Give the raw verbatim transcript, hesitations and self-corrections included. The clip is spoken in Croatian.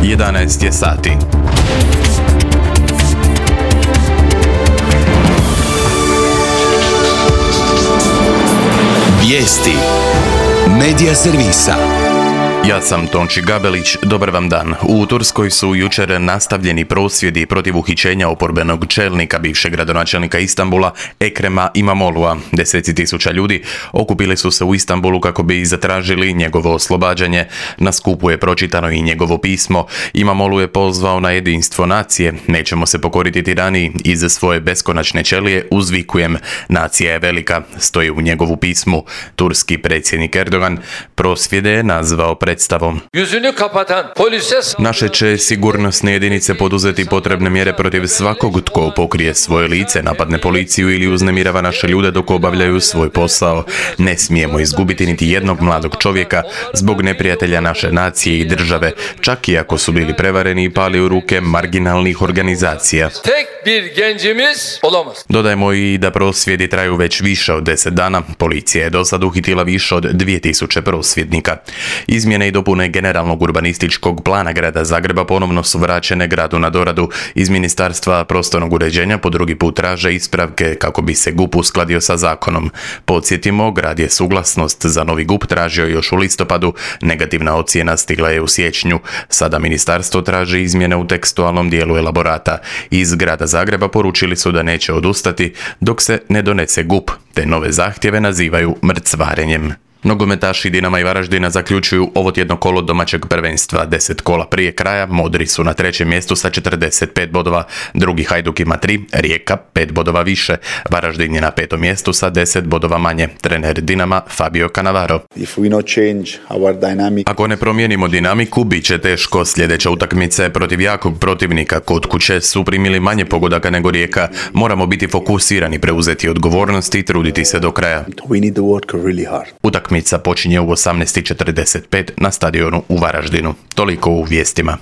jedanaest je sati. Vijesti Medija servisa. Ja sam Tonči Gabelić, dobar vam dan. U Turskoj su jučer nastavljeni prosvjedi protiv uhićenja oporbenog čelnika bivšeg gradonačelnika Istanbula Ekrema Imamoglu'a. Deseci tisuća ljudi okupili su se u Istanbulu kako bi zatražili njegovo oslobađanje. Na skupu je pročitano i njegovo pismo. Imamoglu je pozvao na jedinstvo nacije. Nećemo se pokoriti tiraniji. Iz svoje beskonačne ćelije uzvikujem: nacija je velika, stoji u njegovu pismu. Turski predsjednik Erdogan prosvjede je nazvao predstavom. Naše će sigurnosne jedinice poduzeti potrebne mjere protiv svakog tko pokrije svoje lice, napadne policiju ili uznemirava naše ljude dok obavljaju svoj posao. Ne smijemo izgubiti niti jednog mladog čovjeka zbog neprijatelja naše nacije i države, čak i ako su bili prevareni i pali u ruke marginalnih organizacija. Dodajmo i da prosvjedi traju već više od deset dana. Policija je do sad uhitila više od dvije tisuće prosvjednika. Izmjene i dopune generalnog urbanističkog plana grada Zagreba ponovno su vraćene gradu na doradu. Iz Ministarstva prostornog uređenja po drugi put traže ispravke kako bi se G U P uskladio sa zakonom. Podsjetimo, grad je suglasnost za novi G U P tražio još u listopadu. Negativna ocjena stigla je u siječnju. Sada ministarstvo traži izmjene u tekstualnom dijelu elaborata. Iz grada Zagreba poručili su da neće odustati dok se ne donese G U P, te nove zahtjeve nazivaju mrcvarenjem. Nogometaši Dinama i Varaždina zaključuju ovo tjedno kolo domaćeg prvenstva. Deset kola prije kraja Modri su na trećem mjestu sa četrdeset pet bodova, drugi Hajduk ima tri, Rijeka pet bodova više, Varaždin je na petom mjestu sa deset bodova manje. Trener Dinama Fabio Cannavaro: ako ne promijenimo dinamiku, bit će teško. Sljedeća utakmice protiv jakog protivnika kod kuće su primili manje pogodaka nego Rijeka. Moramo biti fokusirani, preuzeti odgovornost i truditi se do kraja. Utakmica počinje u osamnaest i četrdeset pet na stadionu u Varaždinu. Toliko u vijestima.